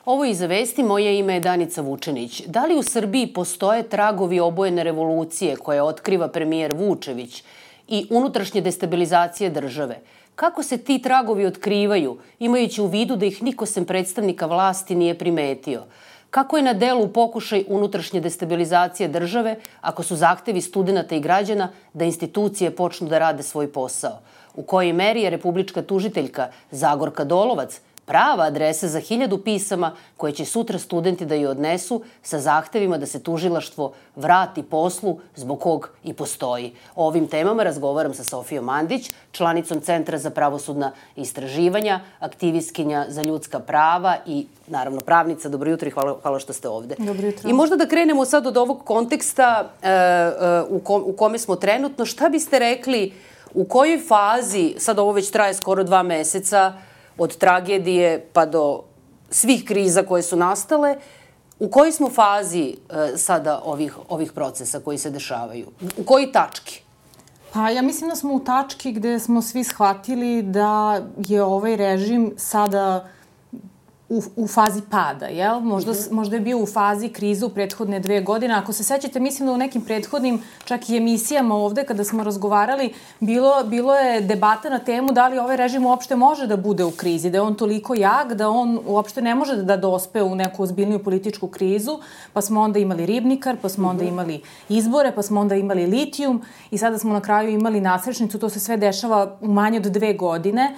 Ovo je Iza vesti, moje ime je Danica Vučenić. Da li u Srbiji postoje tragovi obojene revolucije koje otkriva premijer Vučević i unutrašnje destabilizacije države? Kako se ti tragovi otkrivaju, imajući u vidu da ih niko sem predstavnika vlasti nije primetio? Kako je na delu pokušaj unutrašnje destabilizacije države ako su zahtevi studenta i građana da institucije počnu da rade svoj posao? U kojoj meri je republička tužiteljka Zagorka Dolovac prava adresa za 1000 pisama koje će sutra studenti da joj odnesu sa zahtevima da se tužilaštvo vrati poslu zbog kog i postoji? O ovim temama razgovaram sa Sofijom Mandić, članicom Centra za pravosudna istraživanja, aktivistkinja za ljudska prava i naravno pravnica. Dobro jutro i hvala što ste ovde. Dobro jutro. I možda da krenemo sad od ovog konteksta u kome smo trenutno. Šta biste rekli, u kojoj fazi, sad ovo već traje skoro 2 meseca, od tragedije pa do svih kriza koje su nastale, u kojoj smo fazi sada ovih procesa koji se dešavaju? U kojoj tački? Pa ja mislim da smo u tački gde smo svi shvatili da je ovaj režim sada u fazi pada, jel? Možda je bio u fazi krize u prethodne 2 godine. Ako se sećate, mislim da u nekim prethodnim čak i emisijama ovde kada smo razgovarali, bilo je debata na temu da li ovaj režim uopšte može da bude u krizi, da je on toliko jak, da on uopšte ne može da dospe u neku ozbiljniju političku krizu, pa smo onda imali Ribnikar, pa smo onda imali izbore, pa smo onda imali litijum i sada smo na kraju imali nasrećnicu. To se sve dešava u manje od 2 godine.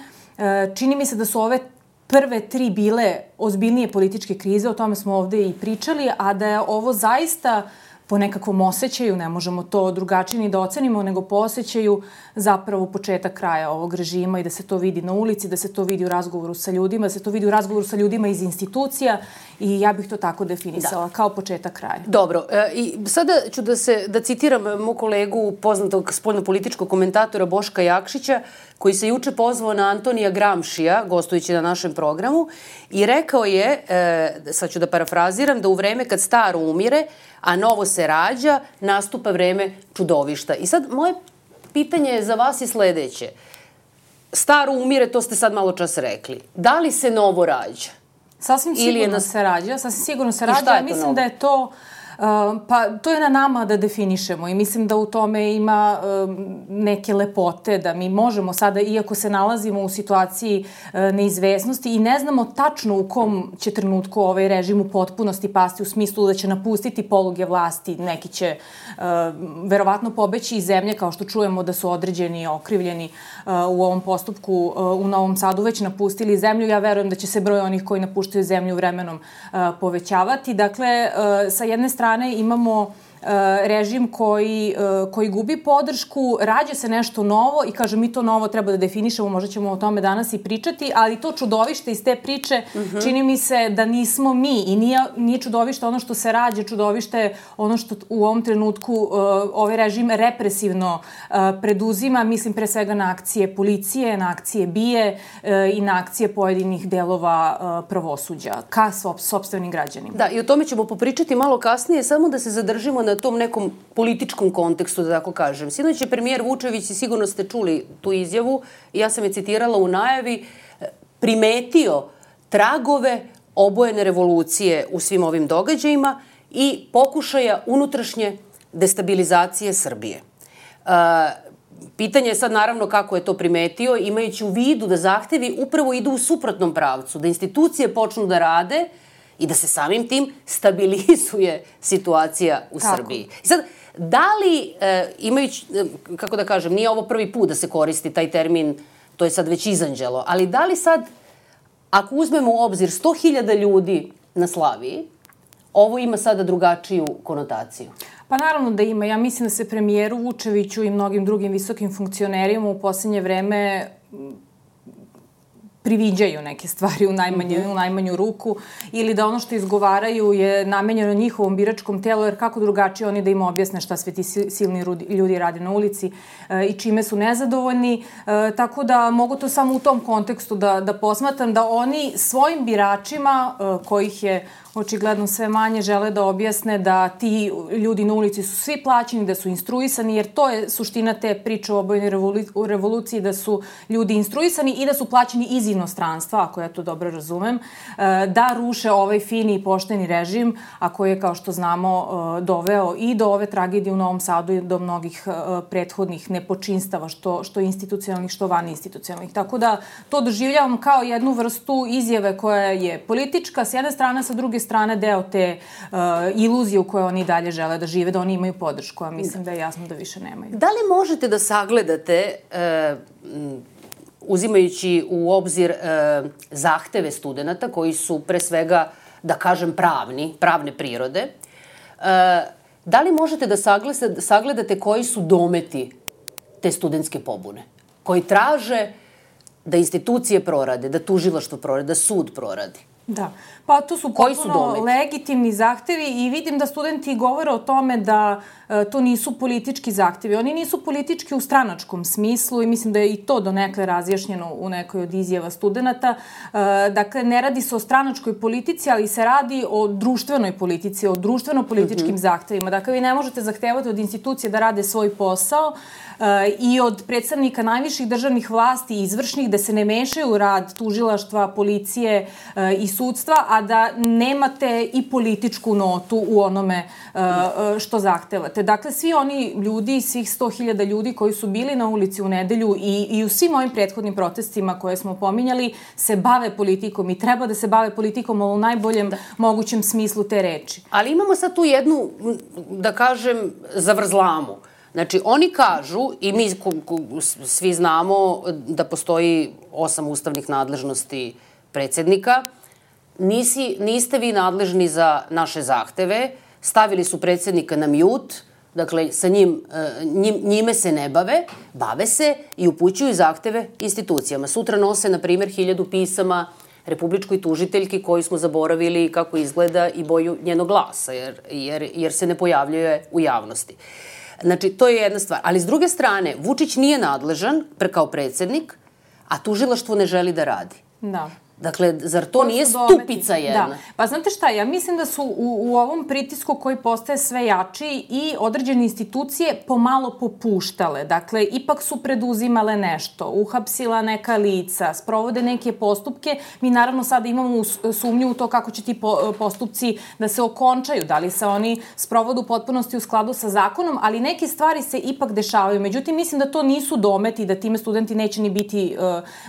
Čini mi se da su ove prve 3 bile ozbiljnije političke krize, o tome smo ovde i pričali, a da je ovo zaista po nekakvom osjećaju, ne možemo to drugačije ni da ocenimo, nego po osjećaju zapravo početak kraja ovog režima i da se to vidi na ulici, da se to vidi u razgovoru sa ljudima, da se to vidi u razgovoru sa ljudima iz institucija i ja bih to tako definisala, kao početak kraja. Dobro, i sada ću da citiram mog kolegu, poznatog spoljnopolitičkog komentatora Boška Jakšića, koji se juče pozvao na Antonija Gramšija, gostujući na našem programu, i rekao je, sad ću da parafraziram, da u vreme kad staro umire, a novo se rađa, nastupa vreme čudovišta. I sad moje pitanje za vas je sledeće. Staro umire, to ste sad malo čas rekli. Da li se novo rađa? Sasvim sigurno se rađa. Sasvim sigurno se rađa. Ja mislim da je to... Pa to je na nama da definišemo i mislim da u tome ima neke lepote, da mi možemo sada, iako se nalazimo u situaciji neizvesnosti i ne znamo tačno u kom će trenutku ovaj režim u potpunosti pasti, u smislu da će napustiti poluge vlasti, neki će verovatno pobeći iz zemlje, kao što čujemo da su određeni i okrivljeni u ovom postupku u Novom Sadu već napustili zemlju. Ja verujem da će se broj onih koji napuštaju zemlju vremenom povećavati. Dakle, sa jedne strane imamo režim koji gubi podršku, rađa se nešto novo i kaže mi to novo treba da definišemo, možda ćemo o tome danas i pričati, ali to čudovište iz te priče čini mi se da nismo mi i nije čudovište ono što se rađa, čudovište je ono što u ovom trenutku ovaj režim represivno preduzima, mislim pre svega na akcije policije, na akcije BIA i na akcije pojedinih delova pravosuđa ka sopstvenim građanima. Da, i o tome ćemo popričati malo kasnije, samo da se zadržimo na tom nekom političkom kontekstu, da tako kažem. Sinoć je premijer Vučević, i sigurno ste čuli tu izjavu, i ja sam je citirala u najavi, primetio tragove obojene revolucije u svim ovim događajima i pokušaja unutrašnje destabilizacije Srbije. Pitanje je sad naravno kako je to primetio, imajući u vidu da zahtevi upravo idu u suprotnom pravcu, da institucije počnu da rade i da se samim tim stabilizuje situacija u Srbiji. I sad, da li, imajući, kako da kažem, nije ovo prvi put da se koristi taj termin, to je sad već izanđelo, ali da li sad, ako uzmemo u obzir 100.000 ljudi na Slaviji, ovo ima sada drugačiju konotaciju? Pa naravno da ima. Ja mislim da se premijeru Vučeviću i mnogim drugim visokim funkcionerima u poslednje vreme priviđaju neke stvari u najmanju ruku ili da ono što izgovaraju je namenjeno njihovom biračkom telu, jer kako drugačije oni da im objasne šta sve ti silni ljudi rade na ulici i čime su nezadovoljni. Tako da mogu to samo u tom kontekstu da posmatram, da oni svojim biračima, kojih je očigledno sve manje žele da objasne da ti ljudi na ulici su svi plaćeni, da su instruisani, jer to je suština te priče o obojnoj revoluciji, da su ljudi instruisani i da su plaćeni iz inostranstva, ako ja to dobro razumem, da ruše ovaj fini i pošteni režim, a koji je, kao što znamo, doveo i do ove tragedije u Novom Sadu i do mnogih prethodnih nepočinstava, što institucionalnih, što vaninstitucionalnih. Tako da to doživljavam kao jednu vrstu izjave koja je politička s jedne strane, sa druge strane deo te iluzije u kojoj oni dalje žele da žive, da oni imaju podršku, a mislim da je jasno da više nemaju. Da li možete da sagledate, uzimajući u obzir zahteve studenta koji su pre svega, da kažem, pravne prirode, da li možete da sagledate koji su dometi te studentske pobune, koji traže da institucije prorade, da tužilaštvo prorade, da sud proradi? Da, pa to su potpuno legitimni zahtevi i vidim da studenti govore o tome da to nisu politički zahtevi. Oni nisu politički u stranačkom smislu i mislim da je i to donekle razjašnjeno u nekoj od izjava studenta. Dakle, ne radi se o stranačkoj politici, ali se radi o društvenoj politici, o društveno-političkim zahtevima. Dakle, vi ne možete zahtevati od institucije da rade svoj posao i od predstavnika najviših državnih vlasti i izvršnih da se ne mešaju u rad tužilaštva, policije i sudstva, a da nemate i političku notu u onome što zahtevate. Dakle, svi oni ljudi, svih 100.000 ljudi koji su bili na ulici u nedelju i u svim ovim prethodnim protestima koje smo pominjali se bave politikom i treba da se bave politikom u najboljem mogućem smislu te reči. Ali imamo sad tu jednu, da kažem, zavrzlamu. Znači, oni kažu, i mi svi znamo da postoji 8 ustavnih nadležnosti predsjednika, niste vi nadležni za naše zahteve, stavili su predsjednika na mute, dakle, sa njime se ne bave se i upućuju zahteve institucijama. Sutra nose, na primjer, 1000 pisama republičkoj tužiteljki koju smo zaboravili kako izgleda i boju njenog glasa, jer se ne pojavljuje u javnosti. Znači, to je jedna stvar. Ali s druge strane, Vučić nije nadležan kao predsjednik, a tužilaštvo ne želi da radi. Da. Dakle, zar to nije stupica jedna? Da. Pa znate šta, ja mislim da su u ovom pritisku koji postaje sve jači i određene institucije pomalo popuštale. Dakle, ipak su preduzimale nešto, uhapsila neka lica, sprovode neke postupke. Mi naravno sada imamo sumnju u to kako će ti postupci da se okončaju, da li se oni sprovode u potpunosti u skladu sa zakonom, ali neke stvari se ipak dešavaju. Međutim, mislim da to nisu dometi, da time studenti neće ni biti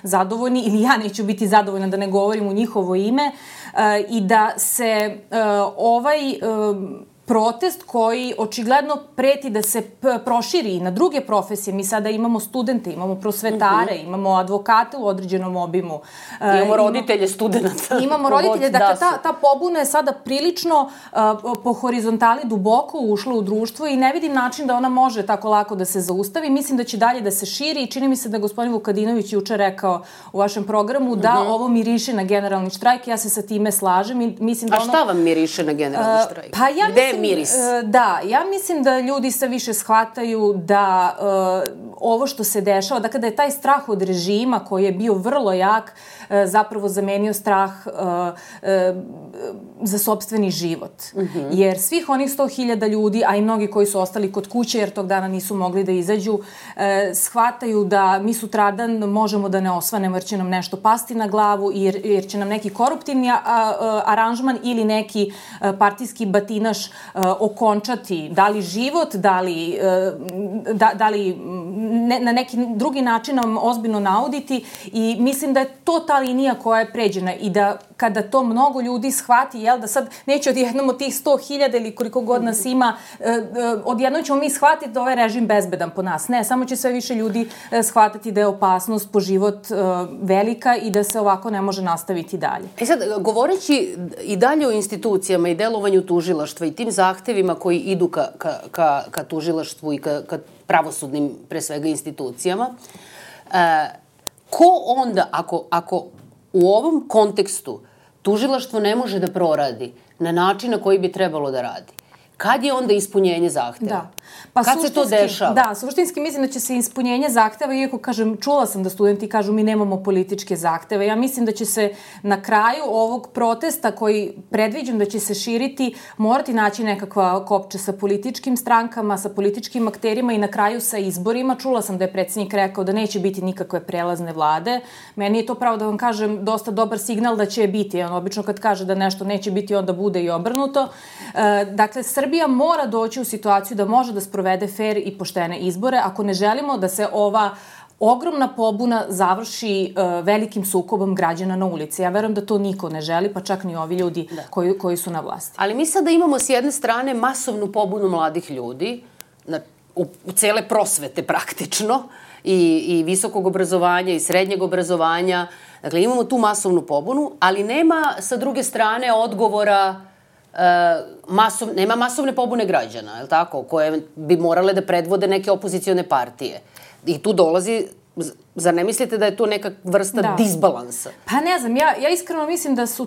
zadovoljni ili ja neću biti zadovoljna da ne govorim u njihovo ime, i da se ovaj protest koji očigledno preti da se proširi na druge profesije. Mi sada imamo studente, imamo prosvetare, imamo advokate u određenom obimu. Imamo roditelje studenta. Imamo roditelje. Dakle, ta pobuna je sada prilično po horizontali duboko ušla u društvo i ne vidim način da ona može tako lako da se zaustavi. Mislim da će dalje da se širi i čini mi se da gospodin Vukadinović juče rekao u vašem programu da ovo miriše na generalni štrajk. Ja se sa time slažem. A šta vam miriše na generalni štrajk? Pa ja mislim miris. Da, ja mislim da ljudi sve više shvataju da ovo što se dešava, dakle da je taj strah od režima koji je bio vrlo jak, zapravo zamenio strah za sopstveni život. Jer svih onih 100.000 ljudi, a i mnogi koji su ostali kod kuće jer tog dana nisu mogli da izađu, shvataju da mi sutradan možemo da ne osvanemo jer će nam nešto pasti na glavu, jer će nam neki koruptivni aranžman ili neki partijski batinaš okončati, da li život, da li na neki drugi način nam ozbiljno nauditi, i mislim da je to ta linija koja je pređena i da kada to mnogo ljudi shvati, da sad neće odjednom od tih 100.000 ili koliko god nas ima, odjednom ćemo mi shvatiti da ovaj režim bezbedan po nas. Ne, samo će sve više ljudi shvatiti da je opasnost po život velika i da se ovako ne može nastaviti dalje. Sad, govoreći i dalje o institucijama i delovanju tužilaštva i tim zahtevima koji idu ka tužilaštvu i ka pravosudnim, pre svega, institucijama, ko onda, ako u ovom kontekstu tužilaštvo ne može da proradi na način na koji bi trebalo da radi, Kad je onda ispunjenje zahteva? Da. Kad se to dešava? Da, suštinski mislim da će se ispunjenje zahteva, iako kažem, čula sam da studenti kažu mi nemamo političke zahteve. Ja mislim da će se na kraju ovog protesta koji predviđam da će se širiti, morati naći nekakva kopča sa političkim strankama, sa političkim akterima i na kraju sa izborima. Čula sam da je predsjednik rekao da neće biti nikakve prelazne vlade. Meni je to pravo da vam kažem dosta dobar signal da će biti. On obično kad kaže da nešto neće biti, onda bude i obrnuto. Dakle, Srbija mora doći u situaciju da može da sprovede fer i poštene izbore ako ne želimo da se ova ogromna pobuna završi velikim sukobom građana na ulici. Ja verujem da to niko ne želi, pa čak ni ovi ljudi koji su na vlasti. Ali mi sada imamo s jedne strane masovnu pobunu mladih ljudi, u cele prosvete praktično, i visokog obrazovanja i srednjeg obrazovanja. Dakle, imamo tu masovnu pobunu, ali nema sa druge strane odgovora, nema masovne pobune građana, je li tako, koje bi morale da predvode neke opozicione partije. I tu dolazi, zar ne mislite da je to neka vrsta disbalansa? Pa ne znam, ja iskreno mislim da su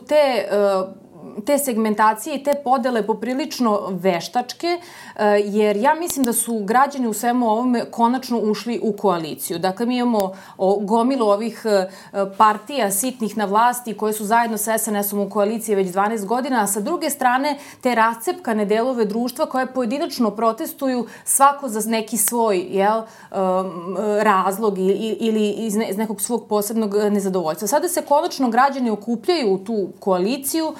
te segmentacije i te podele poprilično veštačke, jer ja mislim da su građani u svemu ovome konačno ušli u koaliciju. Dakle, mi imamo gomilu ovih partija sitnih na vlasti koje su zajedno sa SNS-om u koaliciji već 12 godina, a sa druge strane te rascepkane delove društva koje pojedinačno protestuju svako za neki svoj razlog ili iz nekog svog posebnog nezadovoljstva. Sada se konačno građani okupljaju u tu koaliciju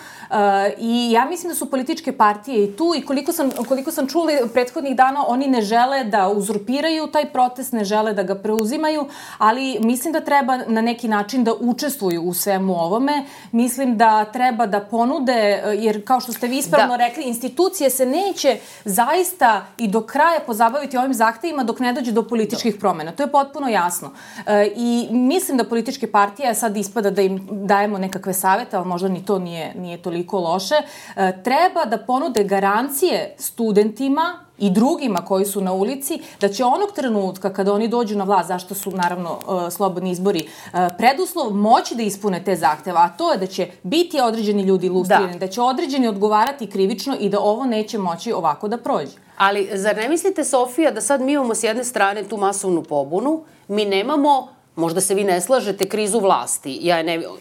i ja mislim da su političke partije i tu i koliko sam čula prethodnih dana, oni ne žele da uzurpiraju taj protest, ne žele da ga preuzimaju, ali mislim da treba na neki način da učestvuju u svemu ovome. Mislim da treba da ponude, jer kao što ste vi ispravno rekli, institucije se neće zaista i do kraja pozabaviti ovim zahtevima dok ne dođe do političkih promena. To je potpuno jasno. I mislim da političke partije, sad ispada da im dajemo nekakve savete, ali možda ni to nije toliko loše, treba da ponude garancije studentima i drugima koji su na ulici, da će onog trenutka kada oni dođu na vlast, zašto su naravno slobodni izbori preduslov, moći da ispune te zahteva, a to je da će biti određeni ljudi lustrirani, da će određeni odgovarati krivično i da ovo neće moći ovako da prođe. Ali zar ne mislite, Sofija, da sad mi imamo s jedne strane tu masovnu pobunu, mi nemamo, možda se vi ne slažete, krizu vlasti.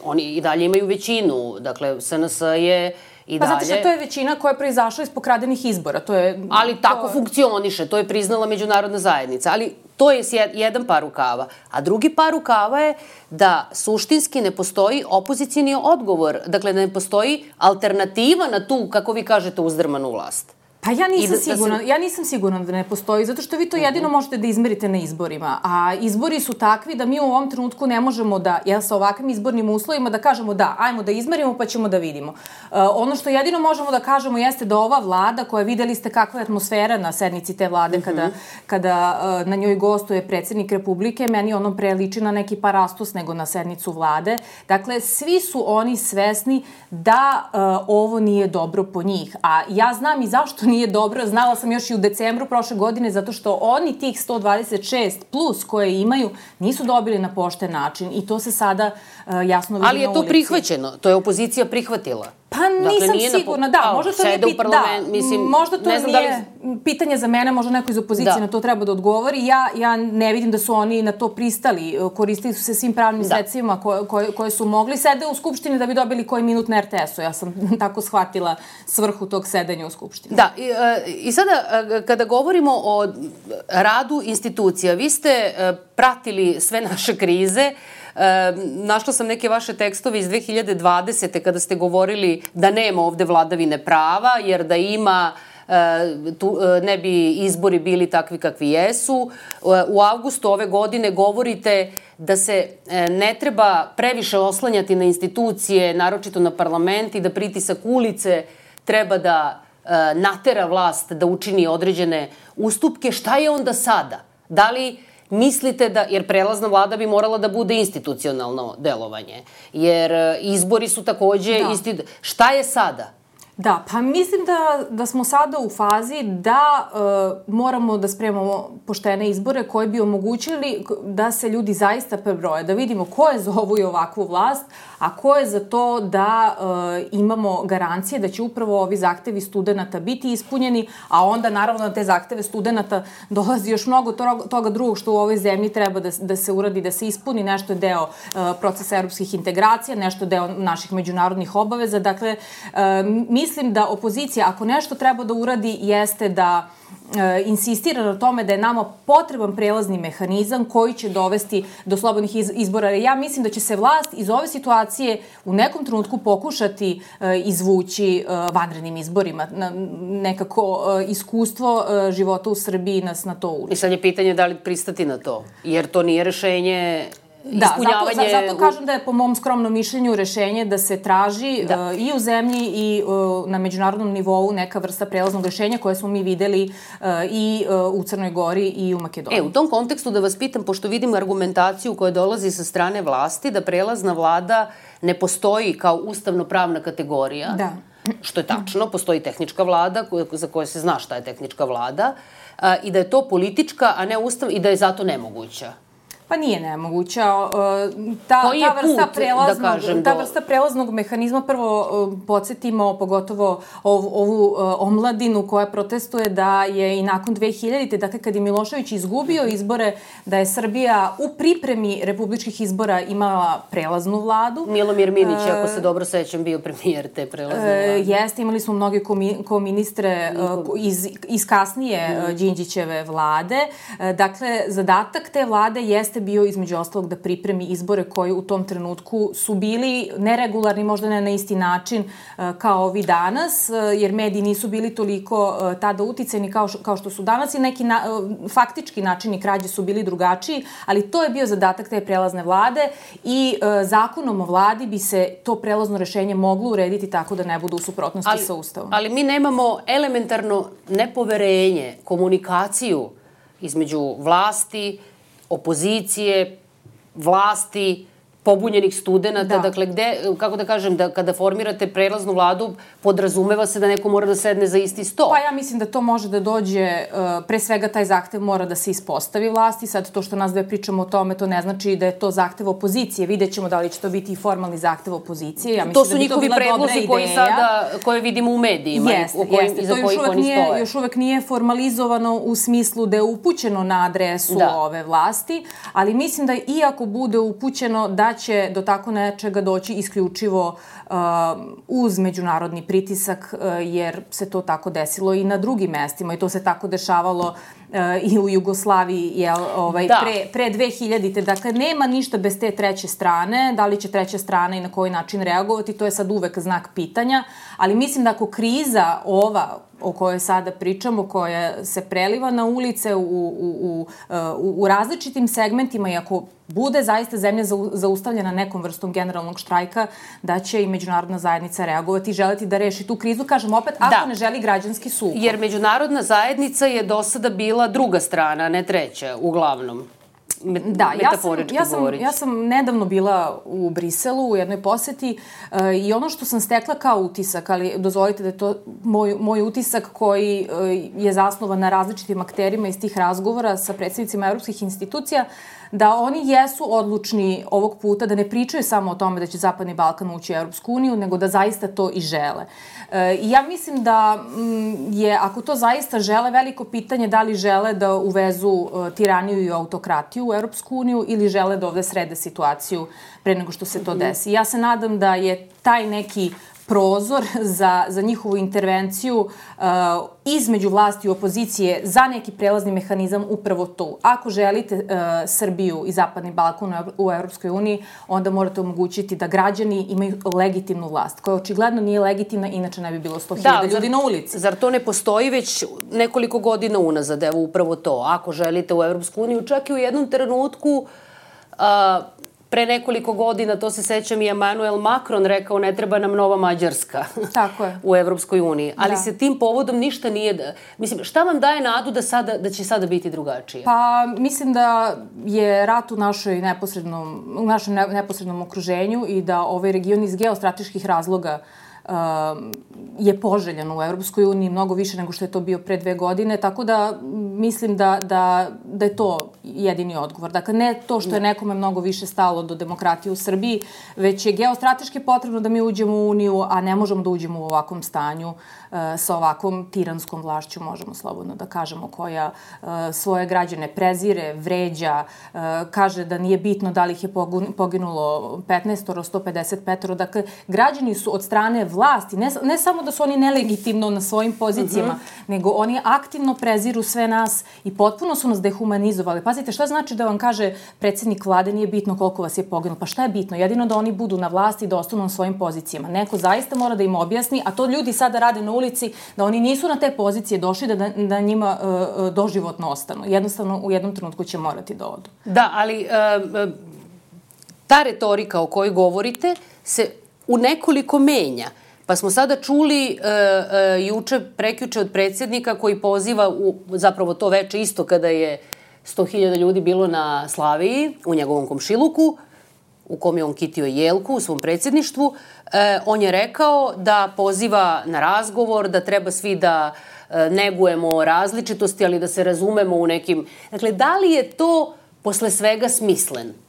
Oni i dalje imaju većinu, dakle SNS je i dalje. Pa znate što, to je većina koja je proizašla iz pokradenih izbora. Ali tako funkcioniše, to je priznala međunarodna zajednica. Ali to je jedan par rukava. A drugi par rukava je da suštinski ne postoji opozicijni odgovor. Dakle, ne postoji alternativa na tu, kako vi kažete, uzdrmanu vlast. Pa ja nisam sigurna da ne postoji, zato što vi to jedino možete da izmerite na izborima, a izbori su takvi da mi u ovom trenutku ne možemo da, sa ovakvim izbornim uslovima, da kažemo da, ajmo da izmerimo pa ćemo da vidimo. Ono što jedino možemo da kažemo jeste da ova vlada, koja videli ste kakva je atmosfera na sednici te vlade kada na njoj gostuje predsjednik Republike, meni ono pre liči na neki parastos nego na sednicu vlade. Dakle, svi su oni svesni da ovo nije dobro po njih, a ja znam i zašto nije dobro, znala sam još i u decembru prošle godine, zato što oni tih 126 plus koje imaju nisu dobili na pošten način i to se sada jasno vidi na ulici. Ali je to prihvaćeno, to je opozicija prihvatila. Pa nisam sigurna, da, možda to nije pitanje za mene, možda neko iz opozicije na to treba da odgovori. Ja ne vidim da su oni na to pristali, koristili su se svim pravnim sredstvima koje su mogli, sede u Skupštini da bi dobili koji minut na RTS-u. Ja sam tako shvatila svrhu tog sedanja u Skupštini. Da, i sada kada govorimo o radu institucija, vi ste pratili sve naše krize. Našla sam neke vaše tekstove iz 2020. kada ste govorili da nema ovde vladavine prava, jer da ima ne bi izbori bili takvi kakvi jesu. U avgustu ove godine govorite da se ne treba previše oslanjati na institucije, naročito na parlament, i da pritisak ulice treba da natera vlast da učini određene ustupke. Šta je onda sada? Da li mislite da, jer prelazna vlada bi morala da bude institucionalno delovanje, jer izbori su takođe... Šta je sada? Da, pa mislim da smo sada u fazi da moramo da spremamo poštene izbore koji bi omogućili da se ljudi zaista prebroje, da vidimo ko je za ovu i ovakvu vlast, a ko je za to da imamo garancije da će upravo ovi zahtevi studenta biti ispunjeni, a onda naravno na te zahteve studenta dolazi još mnogo toga drugog što u ovoj zemlji treba da se uradi, da se ispuni. Nešto je deo procesa evropskih integracija, nešto je deo naših međunarodnih obaveza. Dakle, mislim da opozicija, ako nešto treba da uradi, jeste da insistira na tome da je nama potreban prelazni mehanizam koji će dovesti do slobodnih izbora. Ja mislim da će se vlast iz ove situacije u nekom trenutku pokušati izvući vanrednim izborima. Nekako iskustvo života u Srbiji nas na to uči. I sad je pitanje da li pristati na to, jer to nije rešenje. Da, zato kažem da je po mom skromnom mišljenju rešenje da se traži i u zemlji i na međunarodnom nivou neka vrsta prelaznog rešenja koje smo mi videli i u Crnoj Gori i u Makedoniji. U tom kontekstu da vas pitam, pošto vidim argumentaciju koja dolazi sa strane vlasti, da prelazna vlada ne postoji kao ustavno-pravna kategorija, što je tačno, postoji tehnička vlada za koje se zna šta je tehnička vlada, i da je to politička, a ne ustavna, i da je zato nemoguća. Pa nije nemoguća. Koji je put, da kažem, ta vrsta prelaznog mehanizma, prvo podsjetimo pogotovo ovu omladinu koja protestuje da je i nakon 2000. Dakle, kad je Milošević izgubio izbore, da je Srbija u pripremi republičkih izbora imala prelaznu vladu. Milomir Minić, ako se dobro sećam, bio premijer te prelazne vlade. Jeste, imali smo mnoge ko-ministre iz kasnije Đinđićeve vlade. Dakle, zadatak te vlade jeste bio između ostalog da pripremi izbore koji u tom trenutku su bili neregularni, možda ne na isti način kao ovi danas, jer mediji nisu bili toliko tada uticajni kao što su danas i neki faktički načini krađe su bili drugačiji, ali to je bio zadatak te prelazne vlade i zakonom o vladi bi se to prelazno rešenje moglo urediti tako da ne bude u suprotnosti sa Ustavom. Ali mi nemamo elementarno nepoverenje, komunikaciju između vlasti, opozicije, vlasti, pobunjenih studenta, dakle, gde, kako da kažem, da kada formirate prelaznu vladu, podrazumeva se da neko mora da sedne za isti sto. Pa ja mislim da to može da dođe, pre svega taj zahtev mora da se ispostavi vlasti, sad to što nas dve pričamo o tome, to ne znači da je to zahtev opozicije, vidjet ćemo da li će to biti i formalni zahtev opozicije. Ja to su njihovi predlozi koje vidimo u medijima, iza kojih oni stoje. Još uvek nije formalizovano u smislu da je upućeno na adresu ove vlasti, ali mislim da iako bude upućeno da će do tako nečega doći isključivo uz međunarodni pritisak, jer se to tako desilo i na drugim mestima i to se tako dešavalo i u Jugoslaviji pre 2000. Dakle, nema ništa bez te treće strane. Da li će treća strana i na koji način reagovati, to je sad uvek znak pitanja, ali mislim da ako kriza ova o kojoj sada pričamo, koja se preliva na ulice u različitim segmentima i ako bude zaista zemlja zaustavljena nekom vrstom generalnog štrajka, da će i međunarodna zajednica reagovati i želeti da reši tu krizu, kažem opet, ako ne želi građanski sukob. Jer međunarodna zajednica je do sada bila druga strana, ne treća, uglavnom. Da, ja sam nedavno bila u Briselu u jednoj poseti i ono što sam stekla kao utisak, ali dozvolite da je to moj utisak koji je zasnovan na različitim akterima iz tih razgovora sa predstavnicima evropskih institucija, da oni jesu odlučni ovog puta da ne pričaju samo o tome da će Zapadni Balkan ući u Evropsku uniju, nego da zaista to i žele. I ja mislim da je, ako to zaista žele, veliko pitanje da li žele da uvezu tiraniju i autokratiju u Evropsku uniju ili žele da ovde srede situaciju pre nego što se to desi. Ja se nadam da je taj neki prozor za njihovu intervenciju između vlasti i opozicije za neki prelazni mehanizam upravo tu. Ako želite Srbiju i Zapadni Balkan u Evropskoj uniji, onda morate omogućiti da građani imaju legitimnu vlast, koja očigledno nije legitimna, inače ne bi bilo 100.000 ljudi na ulici. Zar to ne postoji već nekoliko godina unazad, evo upravo to? Ako želite u Evropsku uniju, čak i u jednom trenutku pre nekoliko godina, to se sećam, i Emmanuel Macron rekao ne treba nam nova Mađarska u Evropskoj uniji. Ali se tim povodom ništa nije... Mislim, šta vam daje nadu da će sada biti drugačije? Pa, mislim da je rat u našem neposrednom okruženju i da ovaj region iz geostrateških razloga je poželjan u Evropskoj uniji mnogo više nego što je to bio pre 2 godine, tako da mislim da je to jedini odgovor. Dakle, ne to što je nekome mnogo više stalo do demokratije u Srbiji, već je geostrateški potrebno da mi uđemo u Uniju, a ne možemo da uđemo u ovakvom stanju sa ovakvom tiranskom vlašću, možemo slobodno da kažemo, koja svoje građane prezire, vređa, kaže da nije bitno da li ih je poginulo 15, 155. Dakle, građani su od strane vlasti, ne samo da su oni nelegitimno na svojim pozicijama, nego oni aktivno preziru sve nas i potpuno su nas dehumanizovali. Pazite, šta znači da vam kaže predsjednik vlade nije bitno koliko vas je poginulo? Pa šta je bitno? Jedino da oni budu na vlasti i da ostanu na svojim pozicijama. Neko zaista mora da im objasni, a to ljudi sada rade na ulici, da oni nisu na te pozicije došli da njima doživotno ostanu. Jednostavno, u jednom trenutku će morati da odu. Da, ali ta retorika o kojoj govorite se u nekoliko menja. Pa smo sada čuli prekjuče od predsjednika koji poziva, zapravo to veče isto kada je 100.000 ljudi bilo na Slaviji, u njegovom komšiluku, u kom je on kitio jelku u svom predsjedništvu. On je rekao da poziva na razgovor, da treba svi da negujemo različitosti, ali da se razumemo u nekim... Dakle, da li je to posle svega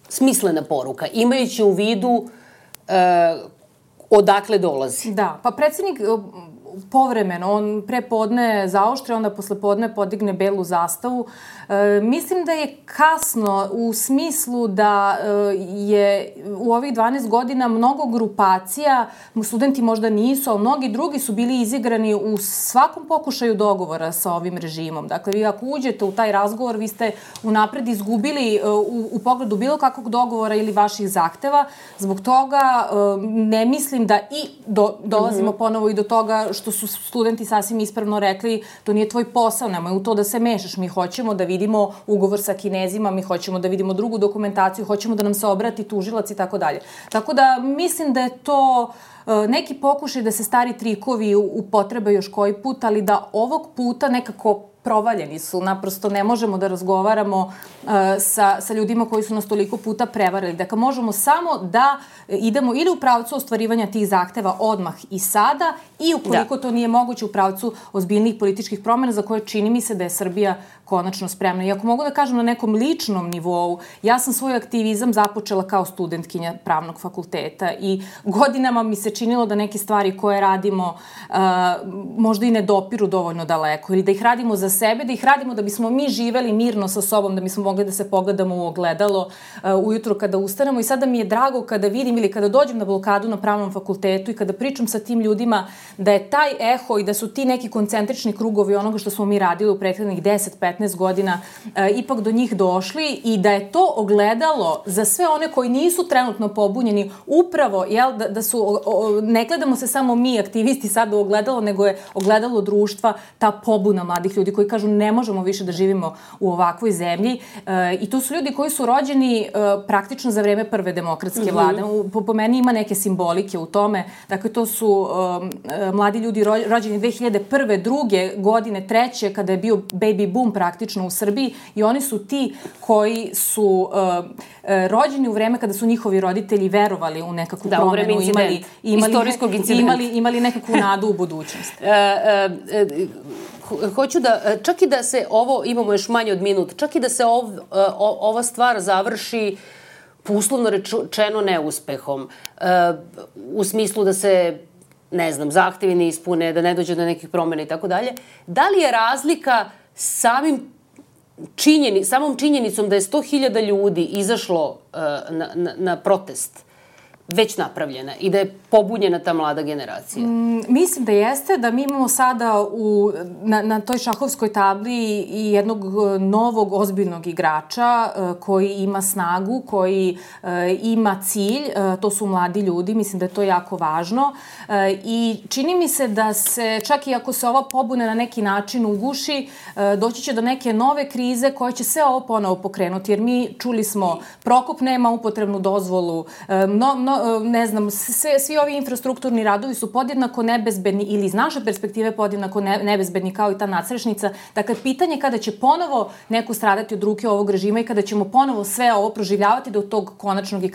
smislena poruka, imajući u vidu odakle dolazi? Da, pa predsjednik povremeno, on pre podne zaoštre, onda posle podne podigne belu zastavu. Mislim da je kasno u smislu da je u ovih 12 godina mnogo grupacija, studenti možda nisu, ali mnogi drugi su bili izigrani u svakom pokušaju dogovora sa ovim režimom. Dakle, vi ako uđete u taj razgovor, vi ste unapred izgubili u pogledu bilo kakvog dogovora ili vaših zahteva. Zbog toga ne mislim da dolazimo ponovo i do toga što su studenti sasvim ispravno rekli, to nije tvoj posao, nemoj u to da se mešaš, mi hoćemo da vidimo ugovor sa Kinezima, mi hoćemo da vidimo drugu dokumentaciju, hoćemo da nam se obrati tužilac i tako dalje. Tako da mislim da je to neki pokušaj da se stari trikovi upotrebe još koji put, ali da ovog puta nekako provaljeni su. Naprosto ne možemo da razgovaramo sa ljudima koji su nas toliko puta prevarili. Dakle, možemo samo da idemo ili u pravcu ostvarivanja tih zahteva odmah i sada i ukoliko to nije moguće u pravcu ozbiljnih političkih promjena za koje čini mi se da je Srbija konačno spremna. I ako mogu da kažem na nekom ličnom nivou, ja sam svoj aktivizam započela kao studentkinja pravnog fakulteta i godinama mi se činilo da neke stvari koje radimo možda i ne dopiru dovoljno daleko ili da ih radimo za sebe, da ih radimo da bismo mi živeli mirno sa sobom, da bismo mogli da se pogledamo u ogledalo ujutro kada ustanemo. I sada mi je drago kada vidim ili kada dođem na blokadu na pravnom fakultetu i kada pričam sa tim ljudima da je taj eho i da su ti neki koncentrični krugovi onoga što smo mi radili u prethodnih 10-15 godina ipak do njih došli i da je to ogledalo za sve one koji nisu trenutno pobunjeni upravo, da su, ne gledamo se samo mi aktivisti sad u ogledalo, nego je ogledalo društva ta pobuna mladih ljudi koji kažu ne možemo više da živimo u ovakvoj zemlji i to su ljudi koji su rođeni praktično za vreme prve demokratske vlade. Po meni ima neke simbolike u tome. Dakle, to su mladi ljudi rođeni 2001. druge godine, treće, kada je bio baby boom praktično u Srbiji i oni su ti koji su rođeni u vreme kada su njihovi roditelji verovali u nekakvu promenu, imali nekakvu nadu u budućnost. Hoću da, čak i da se ovo, imamo još manje od minut, čak i da se ova stvar završi uslovno rečeno neuspehom, u smislu da se, ne znam, zahtevi ne ispune, da ne dođe do nekih promjena i tako dalje, da li je razlika samom činjenicom da je 100.000 ljudi izašlo na protest već napravljena i da je pobunjena ta mlada generacija? Mislim da jeste, da mi imamo sada na toj šahovskoj tabli i jednog novog ozbiljnog igrača koji ima snagu, koji ima cilj, to su mladi ljudi, mislim da je to jako važno i čini mi se da se, čak i ako se ova pobuna na neki način uguši, doći će do neke nove krize koje će sve ovo ponovo pokrenuti, jer mi čuli smo, Prokop nema upotrebnu dozvolu, ne znam, svi ovi infrastrukturni radovi su podjednako nebezbedni ili iz naše perspektive podjednako nebezbedni kao i ta nadstrešnica. Dakle, pitanje kada će ponovo neko stradati od ruke ovog režima i kada ćemo ponovo sve ovo proživljavati do tog konačnog i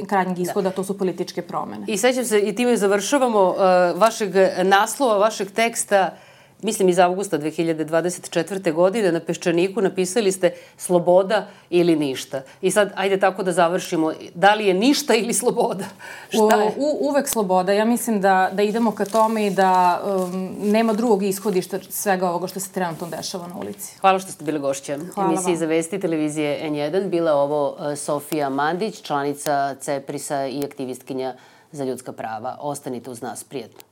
krajnjeg ishoda, to su političke promene. I sećam se, i time završavamo, vašeg naslova, vašeg teksta, mislim iz avgusta 2024. godine, na Peščaniku napisali ste sloboda ili ništa. I sad, ajde tako da završimo. Da li je ništa ili sloboda? Šta je? Uvek sloboda. Ja mislim da idemo ka tome i da nema drugog ishodišta svega ovoga što se trenutno dešava na ulici. Hvala što ste bili gošća emisiji Za vesti televizije N1. Bila je ovo Sofija Mandić, članica CEPRIS-a i aktivistkinja za ljudska prava. Ostanite uz nas. Prijetno.